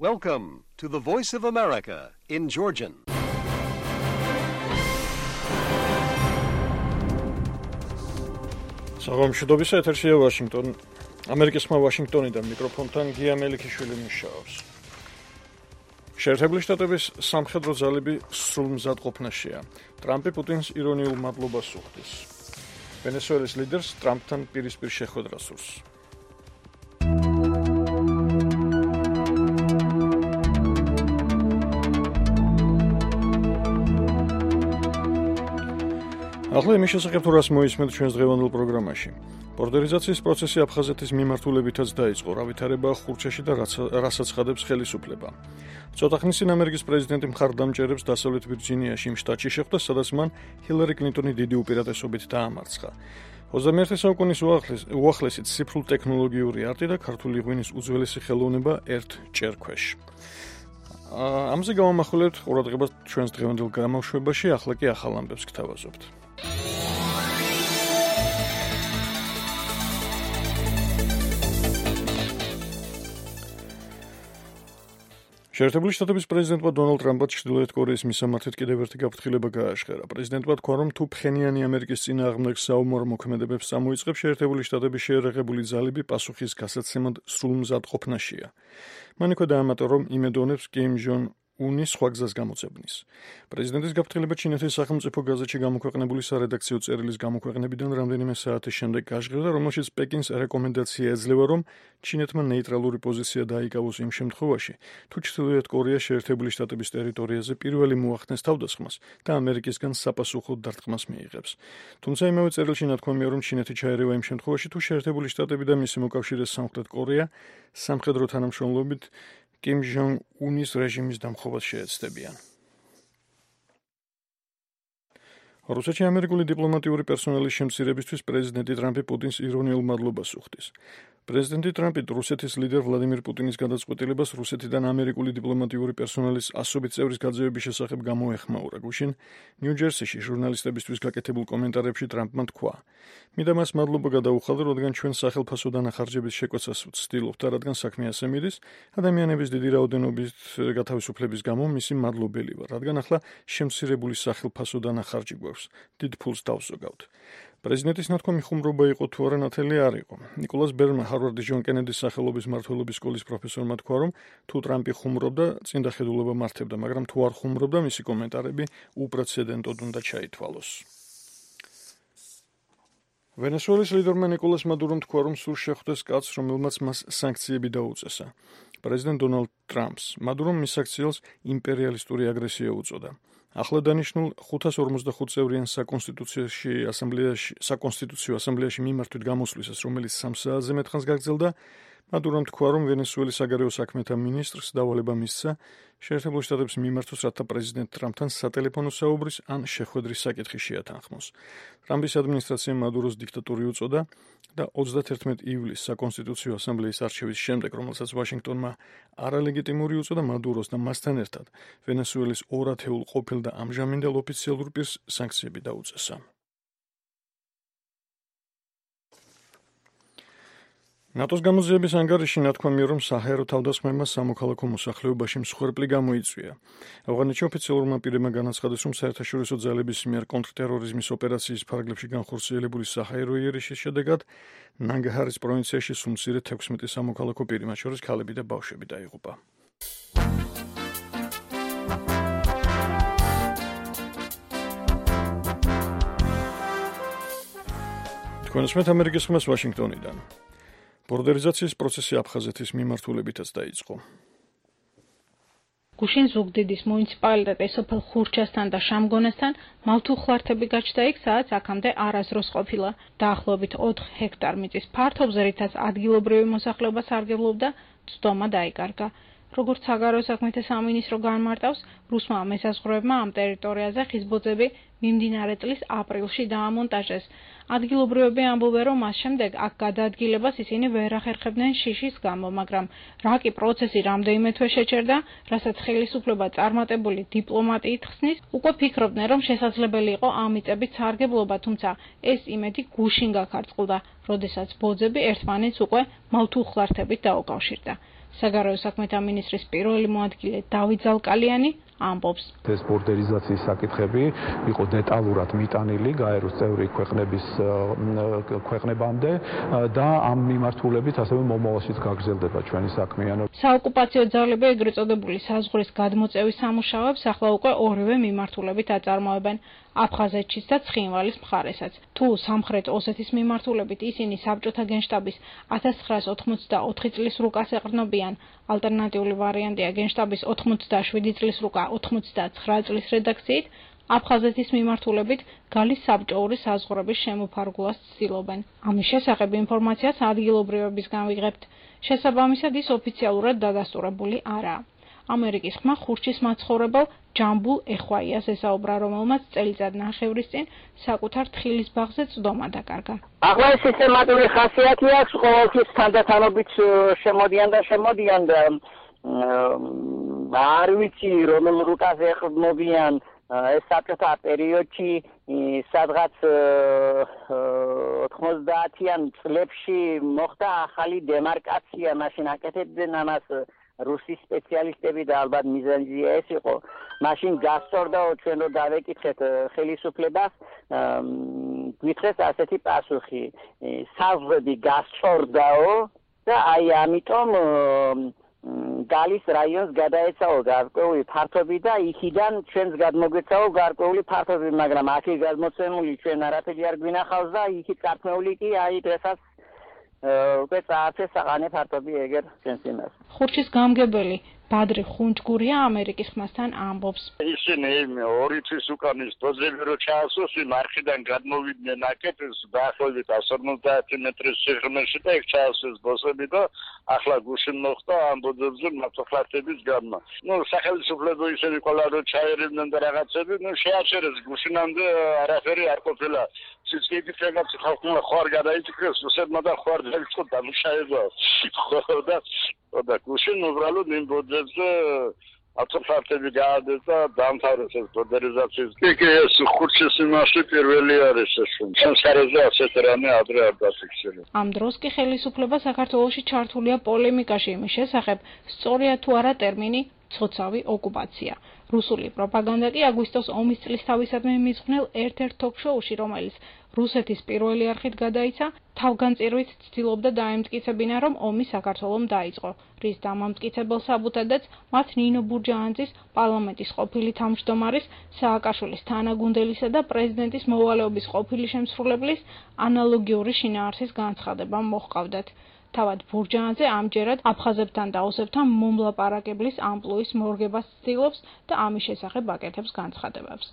Welcome to the Voice of America in Georgian. საღამოშობისა ეთერშია ვაშინგტონ. ამერიკის ხმა ვაშინგტონიდან მიკროფონთან გია მელიქიშვილი მუშაობს. შეერთებული შტატების სამხედრო ძალები სრულმზად ყოფნაშია. ტრამპი პუტინს ირონიულ მადლობას უხდის. ვენესუელის ლიდერს ტრამპთან პირისპირ შეხვედრა სურს. ახლა იმის შესახებ თუ რას მოისმენთ ჩვენს დღევანდელ პროგრამაში. ბორდერიზაციის პროცესი აფხაზეთის მიმართულებითაც დაიწყო, რა ვითარებაა ხურჩაში და რასაც ხადებს ხელისუფლება. ცოტა ხნის წინ ამერიკის პრეზიდენტი მხარდამჭერებს დასავლეთ ვირჯინიაში იმ შტატში შეხვდა, სადაც მან ჰილარი კლინტონი დიდი უპირატესობით დაამარცხა. 21 საუკუნის უახლესი ციფრულ ტექნოლოგიური არტი და ქართული ღვინის უძველესი ხელოვნება ერთ ჭერქვეშ. ამაზე გავამახვილებთ ყურადღებას ჩვენს დღევანდელ გამოშვებაში, ახლა კი ახალ ამბებს გთავაზობთ. შეერთებული შტატების პრეზიდენტმა დონალდ ტრამპმა ჩრდილოეთ კორეის მისამართით კიდევ ერთი გაფრთხილება გააშხერა. პრეზიდენტმა თქვა, რომ თუ ფხენიანი ამერიკის წინააღმდეგ საომარ მოქმედებებს წამოიწყებს, შეერთებული შტატების შეერაღებული ძალები პასუხის გასაცემად სრულმზად ყოფნაშია. მან იქვე დაამატა, რომ იმედოვნებს კიმ ჯონ უნის სხვა გზას გამოძებნის. პრეზიდენტის გაფრთხილება ჩინეთის სახელმწიფო გაზეთში გამოქვეყნებული სარედაქციო წერილის გამოქვეყნებიდან რამდენიმე საათის შემდეგ გაშღერდა, რომელშიც პეკინს რეკომენდაცია ეძლევა, რომ ჩინეთმა ნეიტრალური პოზიცია დაიკავოს იმ შემთხვევაში, თუ ჩრდილოეთ კორეა შეერთებული შტატების ტერიტორიაზე პირველი მოახდენს თავდასხმას და ამერიკისგან საპასუხო დარტყმას მიიღებს. თუმცა იმავე წერილში ნათქვამია, რომ ჩინეთი ჩაერევა იმ შემთხვევაში, თუ შეერთებული შტატები და მისი მოკავშირე სამხრეთ კორეა სამხედრო თანამშრომლობით კიმ ჯონ უნის რეჟიმის დამხობას შეეცდებიან. რუსეთში ამერიკული დიპლომატიური პერსონალის შემცირებისთვის პრეზიდენტი ტრამპი პუტინს ირონიულ მადლობას უხდის. პრეზიდენტი ტრამპი რუსეთის ლიდერ ვლადიმირ პუტინის გადაწყვეტილებას რუსეთიდან ამერიკული დიპლომატიური პერსონალის ასობით წევრის გაძევების შესახებ გამოეხმაურა. გუშინ ნიუ-ჯერსიში ჟურნალისტებისთვის გაკეთებულ კომენტარებში ტრამპმა თქვა: "მიდა მას მადლობა გადაუხადე, რადგან ჩვენ სახელმწიფო დანახარჯების შეკვეცას ვცდილობთ და რადგან საქმე ასე მიდის, ადამიანების დიდი რაოდენობით გათავისუფლების გამო მისი მადლობელი ვარ, რადგან ახლა შემცირებული სახელმწიფო დანახარჯი გვაქვს. დიდ ფულს დავზოგავთ." პრეზიდენტის ნათქვამი ხუმრობა იყო თუ არა ნათელი არ იყო. ნიკოლას ბერნმა ჰარვარდის ჯონ კენედის სახელობის მმართველობის სკოლის პროფესორმა თქვა, რომ თუ ტრამპი ხუმრობდა, წინდა ხედულობა მართებდა, მაგრამ თუ არ ხუმრობდა, მისი კომენტარები უპრეცედენტოდ უნდა ჩაითვალოს. ვენესუელის ლიდერმა ნიკოლას მადურომ თქვა, რომ სურს შეხვდეს კაცს, რომელმაც მას სანქციები დაუწესა. პრეზიდენტ დონალდ ტრამპს მადურომ მის აქციელს იმპერიალისტური აგრესია უწოდა. ახლა დანიშნულ 545 წევრიან საკონსტიტუციო ასამბლეაში მიმართვით გამოსვლისას, რომელიც 3 საათზე მეტ ხანს გაგრძელდა, მადურომ თქვა, რომ ვენესუელის საგარეო საქმეთა მინისტრს დავალება მისცა შეერთებულ შტატებს მიმართოს, რათა პრეზიდენტ ტრამპთან სატელეფონო საუბრის ან შეხვედრის საკითხი შეათანხმოს. ტრამპის ადმინისტრაციამ მადუროს დიქტატური უწოდა და 31 ივლისს საკონსტიტუციო ასამბლეის არჩევის შემდეგ, რომელსაც ვაშინგტონმა არალეგიტიმური უწოდა, მადუროს და მასთან ერთად ვენესუელის 2 ათეულ ყოფილ და ამჟამინდელ ოფიციალურ პირს სანქციები დაუწესა. ნატოს გამოძიების ანგარიში ნათქვამია, რომ საჰაერო თავდასხმებმა სამოქალაქო მოსახლეობაში მსხვერპლი გამოიწვია. ავღანეთში ოფიციალურმა პირებმა განაცხადეს, რომ საერთაშორისო ძალების მიერ კონტრტერორიზმის ოპერაციის ფარგლებში განხორციელებული საჰაერო იერიშის შედეგად ნანგაჰარის პროვინციაში სულ მცირე 16 სამოქალაქო პირი, მათ შორის ქალები და ბავშვები დაიღუპა. თქვენ უსმენთ ამერიკის ხმას ვაშინგტონიდან. ბორდერიზაციის პროცესი აფხაზეთის მიმართულებითაც დაიწყო. გუშინ ზუგდიდის მუნიციპალიტეტის სოფელ ხურჩასთან და შამგონესთან მალთუხლართები გაჩნდა იქ, სადაც აქამდე არასდროს ყოფილა. დაახლოებით 4 ჰექტარ მიწის ფართობზე, რითაც ადგილობრივი მოსახლეობა სარგებლობდა, ცდომა დაიკარგა. როგორც საგარეო საქმეთა სამინისტრო განმარტავს, რუსმა მესაზღვრეებმა ამ ტერიტორიაზე ხის ბოძები მიმდინარე წლის აპრილში დაამონტაჟეს. ადგილობრივები ამბობენ, რომ მას შემდეგ აქ გადაადგილებას ისინი ვერ ახერხებდნენ შიშის გამო, მაგრამ რა კი პროცესი რამდენიმე თვე შეჩერდა, რასაც ხელისუფლება წარმატებული დიპლომატიით ხსნის, უკვე ფიქრობდნენ, რომ შესაძლებელი იყო ამ მიწებით სარგებლობა, თუმცა ეს იმედი გუშინ გაქარწყლდა, როდესაც ბოძები ერთმანეთს უკვე მალთუხლართებით დაუკავშირდა. საგარეო საქმეთა მინისტრის პირველი მოადგილე დავით ზალკალიანი ამბობს. ეს ბორდერიზაციის საკითხები იყო დეტალურად მიტანილი გაეროს წევრი ქვეყნებამდე და ამ მიმართულებით ასევე მომავალშიც გაგრძელდება ჩვენი საქმიანობა. საოკუპაციო ძალები ეგრეთ წოდებული საზღვრის გადმოწევის სამუშაოებს ახლა უკვე ორივე მიმართულებით აწარმოებენ. აფხაზეთშიც და ცხინვალის მხარესაც. თუ სამხრეთ ოსეთის მიმართულებით ისინი საბჭოთა გენშტაბის 1984 წლის რუკას ეყრდნობიან, ალტერნატიული ვარიანტია გენშტაბის 87 წლის რუკა 89 წლის რედაქციით, აფხაზეთის მიმართულებით გალის საბჭოური საზღვრების შემოფარგლას ცდილობენ. ამის შესახებ ინფორმაციას ადგილობრივებისგან ვიღებთ. შესაბამისად ის ოფიციალურად დადასტურებული არაა. ამერიკის ხმა ხურჩის მაცხოვრებელ ჯამბულ ეხვაიას ესაუბრა, რომელმაც წელიწად ნახევრის წინ საკუთარ თხილის ბაღზე წვდომა დაკარგა. ახლა ეს სისტემატური ხასიათი აქვს, ყოველთვის თანდათანობით შემოდიან და არ ვიცი რომელ რუკაზე ეყრდნობიან. ეს საბჭოთა პერიოდში სადღაც 90-იან წლებში მოხდა ახალი დემარკაცია, მაშინ აკეთებდნენ ამას რუსის სპეციალისტები და ალბათ მიზანია ეს იყო. მაშინ გასწორდაო ჩვენ რო დავეკითხეთ ხელისუფლებას, გვითხრეს ასეთი პასუხი. საზღვრები გასწორდაო და აი ამიტომ გალის რაიონს გადაეცაო გარკვეული ფართობი და იქიდან ჩვენს გადმოგვეცაო გარკვეული ფართობი, მაგრამ აქ გადმოცემული ჩვენ არაფერი არ გვინახავს და იქით წარმოული კი აი დღესაც უკვე წაართეს საყანე ფართობი ეგერ ჩვენს იმას. ხურჩის გამგებელი ბადრი ხუნჯგურია ამერიკის ხმასთან ამბობს. ისინი ორი თვის უკან ის დოზები რო ჩაასვენ, არხიდან გადმოვიდნენ აკეთეს დაახლოებით 150 მეტრის სიღრმეში და იქ ჩაასვეს ბოსები და ახლა გუშინ მოხდა ამ ბოძებზე მართლაც გამმა. სახელმწიფო ისინი ყველა რო ჩაერევდნენ და რაღაცები, შეაჩერეს გუშინამდე არაფერი არ ყოფილა. სიცივით რაღაც ხალხმა ხوار გადაიწეს, რუსებმა და ხوار დაიწყო დამუშავება. და გუშინ უბრალოდ იმ ბოძებზე აწოფართები გაადეს და დამთავრეს ეს ბორდერიზაციის. ეს ხურჩის იმაში პირველი არის ეს. სამსარაზე ასეთ რამე ადრე არ დაფიქსირდა. ამ დროს კი ხელისუფლება საქართველოში ჩართულია პოლემიკაში იმის შესახებ, სწორია თუ არა ტერმინი ცოცავი ოკუპაცია. რუსული პროპაგანდა კი აგვისტოს ომის წლისთავისადმი მიძღვნილ ერთ-ერთ თოქ-შოუში, რომელიც რუსეთის პირველი არხით გადაიცა, თავგანწირვით ცდილობდა დაემტკიცებინა, რომ ომი საქართველომ დაიწყო, რის დამამტკიცებელ საბუთადაც მათ ნინო ბურჯაანძის, პარლამენტის ყოფილი თავმჯდომარის, სააკაშვილის თანაგუნდელისა და პრეზიდენტის მოვალეობის ყოფილი შემსრულებლის ანალოგიური შინაარსის განცხადება მოჰყავდათ. თავად ბურჯაანძე ამჯერად აფხაზებთან და ოსებთან მომლაპარაკებლის ამპლუის მორგებას ცდილობს და ამის შესახებ აკეთებს განცხადებებს.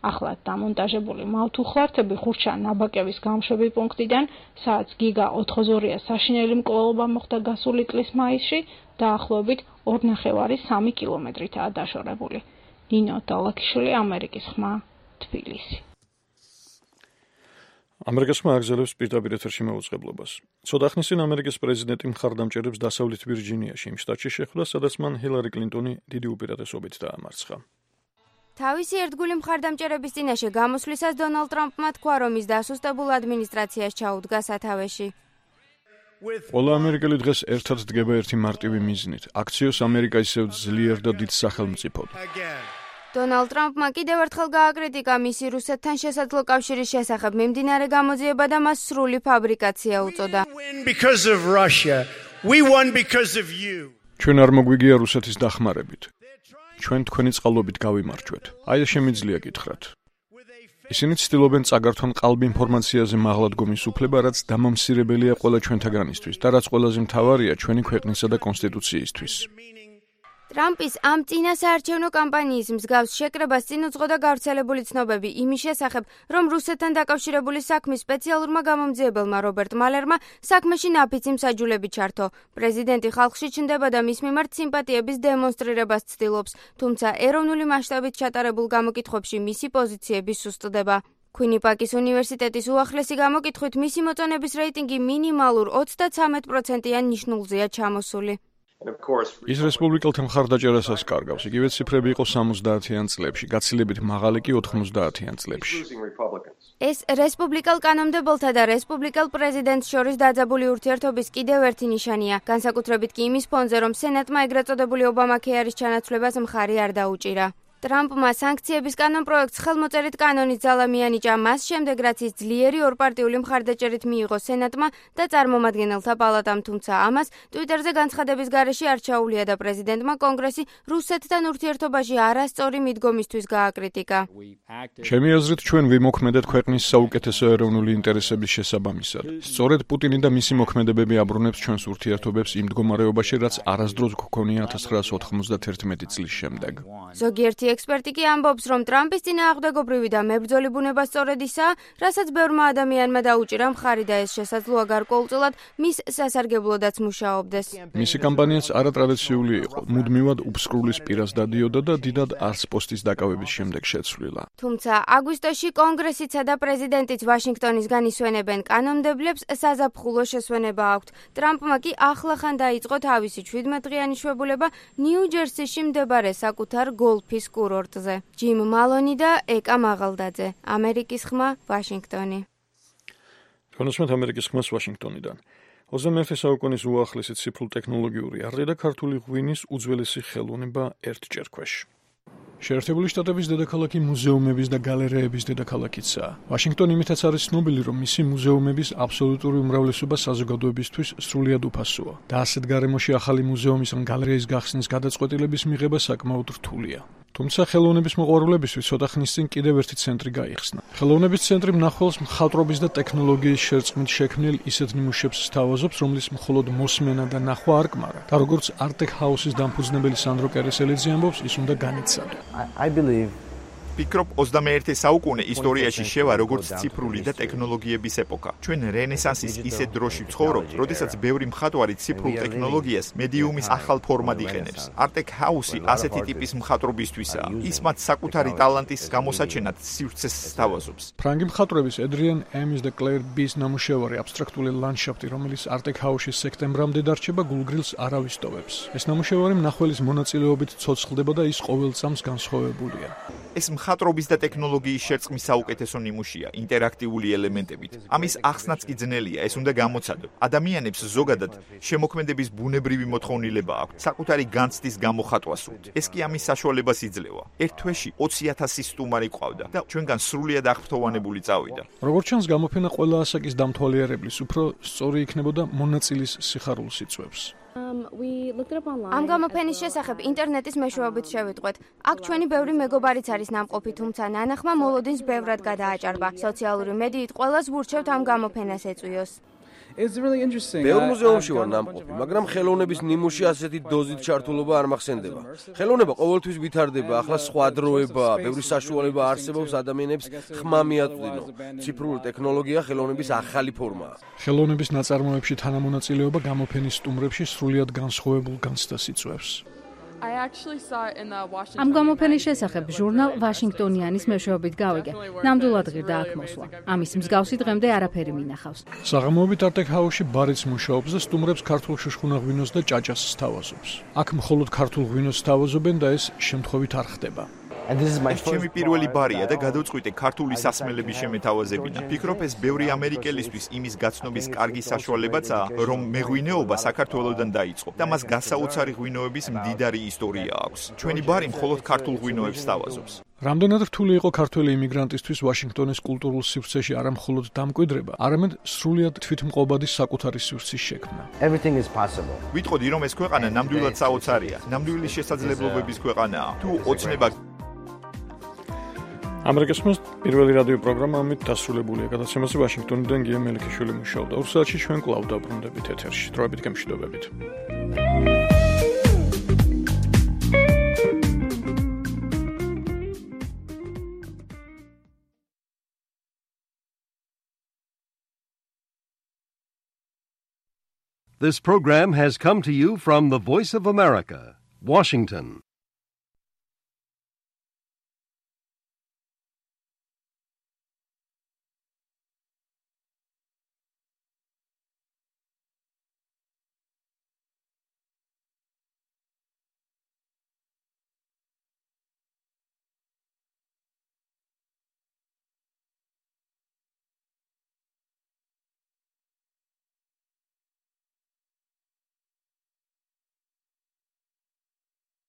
ახლა დამონტაჟებული მავთუხლართები ხურჩა ნაბაკების გამშვები პუნქტიდან, სადაც გიგა 82-ია საშინელი მკვლელობა მოხდა გასული წლის მაისში, დაახლოებით 2,5-3 კილომეტრითაა დაშორებული. ნინო დალაქიშვილი, ამერიკის ხმა, თბილისი. ამერიკის ხმა აგზელებს პირდაპირ ეთერში მეუწყებლობას. ცოტა ხნის წინ ამერიკის პრეზიდენტი მხარდამჭერებს დასავლეთ ვირჯინიაში, იმ შტატში შეხვდა, სადაც მან ჰილარი კლინტონი დიდი უპირატესობით დაამარცხა. თავისი ერთგული მხარდამჭერების წინაშე გამოსვლისას დონალდ ტრამპმა თქვა, რომ ის დასუსტებულ ადმინისტრაციას ჩაუდგა სათავეში. ყველა ამერიკელი დღეს ერთად დგება ერთი მარტივი მიზნით. აქციოს ამერიკა ისევ ძლიერ და დიდ სახელმწიფოდ. დონალდ ტრამპმა კიდევ ერთხელ გააკრიტიკა მისი რუსეთთან შესაძლო კავშირის შესახებ მიმდინარე გამოძიება და მას სრული ფაბრიკაცია უწოდა. ჩვენ არ მოგვიგია რუსეთის დახმარებით. ჩვენ თქვენი წყალობით გავიმარჯვეთ. აი შემიძლია გითხრათ. ისინი ცდილობენ წაგართონ ყალბ ინფორმაციაზე მაღლადგომის უფლება, რაც დამამსირებელია ყველა ჩვენთაგანისთვის და რაც ყველაზე მთავარია ჩვენი ქვეყნისა და კონსტიტუციისთვის. ტრამპის ამ წინა საარჩევნო კამპანიის მსგავს შეკრებას წინ უძღოდა გავრცელებული ცნობები იმის შესახებ, რომ რუსეთთან დაკავშირებული საქმის სპეციალურმა გამომძიებელმა რობერტ მალერმა საქმეში ნაფიცი მსაჯულები ჩართო. პრეზიდენტი ხალხში ჩნდება და მის მიმართ სიმპათიების დემონსტრირებას ცდილობს, თუმცა ეროვნული მასშტაბით ჩატარებულ გამოკითხვებში მისი პოზიციები სუსტდება. Quinnipiacის უნივერსიტეტის უახლესი გამოკითხვით მისი მოწონების რეიტინგი მინიმალურ 33%-იან ნიშნულზეა ჩამოსული. ის რესპუბლიკელთა მხარდაჭერასაც კარგავს, იგივე ციფრები იყო 70-იან წლებში, გაცილებით მაღალი კი 90-იან წლებში. ეს რესპუბლიკელ კანონმდებელთა და რესპუბლიკელ პრეზიდენტს შორის დაძაბული ურთიერთობის კიდევ ერთი ნიშანია, განსაკუთრებით კი იმის ფონზე, რომ სენატმა ეგრეთ წოდებული ობამაქეარის ჩანაცვლებას მხარი არ დაუჭირა. ტრამპმა სანქციების კანონპროექტს ხელმოწერით კანონის ძალა მიანიჭა მას შემდეგ, რაც ის ძლიერი ორპარტიული მხარდაჭერით მიიღო სენატმა და წარმომადგენელთა პალატამ, თუმცა ამას ტვიტერზე განცხადების გარეშე არ ჩაუვლია და პრეზიდენტმა კონგრესი რუსეთთან ურთიერთობაში არასწორი მიდგომისთვის გააკრიტიკა. ჩემი აზრით, ჩვენ ვიმოქმედეთ ქვეყნის საუკეთესო ეროვნული ინტერესების შესაბამისად. სწორედ პუტინი და მისი მოქმედებები აბრუნებს ჩვენს ურთიერთობებს იმ მდგომარეობაში, რაც არასდროს გქონია 1991 წლის შემდეგ. ზოგიერთი ექსპერტი კი ამბობს, რომ ტრამპის წინააღმდეგობრივი და მებრძოლი ბუნება სწორედ ისაა, რასაც ბევრმა ადამიანმა დაუჭირა მხარი და ეს შესაძლოა გარკვეულწილად მის სასარგებლოდაც მუშაობდეს. მისი კამპანიაც არატრადიციული იყო, მუდმივად უფსკრულის პირას დადიოდა და დიდად არც პოსტის დაკავების შემდეგ შეცვლილა. თუმცა აგვისტოში კონგრესიცა და პრეზიდენტიც ვაშინგტონისგან ისვენებენ კანონმდებლებს საზაფხულო შესვენება აქვთ. ტრამპმა კი ახლახან დაიწყო თავისი 17-დღიანი შვებულება ნიუ-ჯერსიში მდებარე საკუთარ გოლფის კურორტზე. ჯიმ მალონი და ეკა მაღალდაძე, ამერიკის ხმა, ვაშინგტონი. კონსუმენტ ამერიკის ხმას ვაშინგტონიდან. 21 საუკუნის უახლესი ციფრულ ტექნოლოგიური არტი და ქართული ღვინის უძველესი ხელოვნება ერთჯერ ქვეშ. შეერთებული შტატების დედაქალაქი მუზეუმების და გალერეების დედაქალაქიცაა. ვაშინგტონი იმითაც არის ცნობილი, რომ მისი მუზეუმების აბსოლუტური უმრავლესობა საზოგადოებისთვის სრულიად უფასოა და ასეთ გარემოში ახალი მუზეუმის ან გალერეის გახსნის გადაწყვეტილების მიღება საკმაოდ რთულია. თუმცა ხელოვნების მოყვარულებისთვის ცოტა ხნის წინ კიდევ ერთი ცენტრი გაიხსნა. ხელოვნების ცენტრი მნახველს მხატვრობის და ტექნოლოგიის შერწყმით შექმნილ ისეთ ნიმუშებს სთავაზობს, რომლის მხოლოდ მოსმენა და ნახვა არ კმარა. და როგორც არტეკ ჰაუსის დამფუძნებელი სანდრო კერესელიძე ამბობს, ის უნდა განიცადო. ფიქრობ 21 საუკუნე ისტორიაში შევა როგორც ციფრული და ტექნოლოგიების ეპოქა. ჩვენ რენესანსის ისეთ დროში ვცხოვრობთ, როდესაც ბევრი მხატვარი ციფრულ ტექნოლოგიას მედიუმის ახალ ფორმად იყენებს. არტეკ ჰაუსი ასეთი ტიპის მხატვრობისთვისაა. ის მათ საკუთარი ტალანტის გამოსაჩენად სივრცეს სთავაზობს. ფრანგი მხატვრების ედრიან ემის და კლეირ ბის ნამუშევარი აბსტრაქტული ლანდშაფტი, რომელიც არტეკ ჰაუსში სექტემბრამდე დარჩება, გულგრილს არ ავისტოვებს. ეს ნამუშევარი მნახველის მონაწილეობით ცოცხლდება და ის ყოველ წამს განსხვავებულია. ეს მხატვრობის და ტექნოლოგიის შერწყმის საუკეთესო ნიმუშია, ინტერაქტიული ელემენტებით. ამის ახსნაც კი ძნელია, ეს უნდა გამოცადო. ადამიანებს ზოგადად შემოქმედების ბუნებრივი მოთხოვნილება აქვთ, საკუთარი განცდის გამოხატვა სურთ. ეს კი ამის საშუალებას იძლევა. ერთ თვეში 20,000 სტუმარი ყავდა და ჩვენგან სრულიად აღფრთოვანებული წავიდა. როგორც ჩანს, გამოფენა ყველა ასაკის დამთვალიერებლის უფრო სწორი იქნებოდა მონაწილის სიხარულს იწვევს. ამ გამოფენის შესახებ ინტერნეტის მეშვეობით შევიტყვეთ. აქ ჩვენი ბევრი მეგობარიც არის ნამყოფი, თუმცა ნანახმა მოლოდინს ბევრად გადააჭარბა. სოციალური მედიით ყველას ვურჩევთ ამ გამოფენას ეწვიოს. ბევრ მუზეუმში ვარ ნამყოფი, მაგრამ ხელოვნების ნიმუში ასეთი დოზით ჩართულობა არ მახსენდება. ხელოვნება ყოველთვის ვითარდება, ახლა სხვა დროებაა, ბევრი საშუალება არსებობს ადამიანებს ხმა მიაწვდინო. ციფრული ტექნოლოგია ხელოვნების ახალი ფორმაა. ხელოვნების ნაწარმოებში თანამონაწილეობა გამოფენის სტუმრებში სრულიად განსხვავებულ განცდას იწვევს. ამ გამოფენის შესახებ ჟურნალ ვაშინგტონიანის მეშვეობით გავიგე. ნამდვილად ღირდა აქ მოსვლა. ამის მსგავსი დღემდე არაფერი მინახავს. საღამოობით არტეკ ჰაუსში ბარიც მუშაობს და სტუმრებს ქართულ შუშხუნა ღვინოს და ჭაჭას სთავაზობს. აქ მხოლოდ ქართულ ღვინოს სთავაზობენ და ეს შემთხვევით არ ხდება. ეს ჩემი პირველი ბარია და გადავწყვიტე ქართული სასმელების შემეთავაზებინა. ფიქრობ, ეს ბევრი ამერიკელისთვის იმის გაცნობის კარგი საშუალებაცაა, რომ მეღვინეობა საქართველოდან დაიწყო და მას გასაოცარი ღვინოების მდიდარი ისტორია აქვს. ჩვენი ბარი მხოლოდ ქართულ ღვინოებს სთავაზობს. რამდენად რთული იყო ქართველი იმიგრანტისთვის ვაშინგტონის კულტურულ სივრცეში არა მხოლოდ დამკვიდრება, არამედ სრულიად თვითმყოფადი საკუთარი სივრცის შექმნა. ვიტყოდი, რომ ეს ქვეყანა ნამდვილად საოცარია, ნამდვილი შესაძლებლობების ქვეყანაა. თუ ოცნება ამერიკის ხმის პირველი რადიო პროგრამა ამით დასრულებულია. გადაცემაზე ვაშინგტონიდან გია მელიქიშვილი მუშაობდა. 2 საათში ჩვენ კვლავ დაბრუნდებით ეთერში. დროებით გემშვიდობებით. This program has come to you from the Voice of America, Washington.